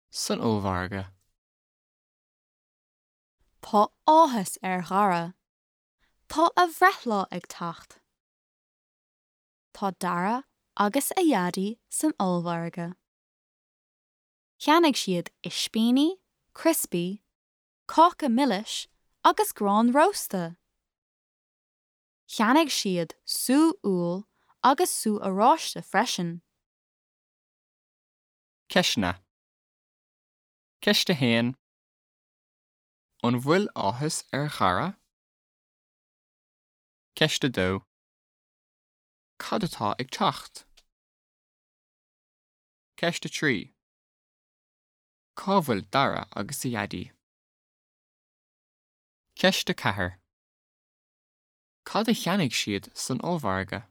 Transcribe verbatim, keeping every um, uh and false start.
San ollmhargadh. Tá áthas ar Dhara. Tá a bhreithlá ag teacht. Tá Dara agus a Dhaidí san ollmhargadh. Cheannaigh siad ispíní, criospaí, cáca milis agus grán rósta. Cheannaigh siad sú úll agus sú oráiste freisin. Ceisteanna. Ceist a haon. An bhfuil áthas ar Dhara? Ceist a dó. Cad atá ag teacht? Ceist a trí. Cá bhfuil Dara agus a Dhaidí? Ceist a ceathair. Cad a cheannaigh siad san ollmhargadh?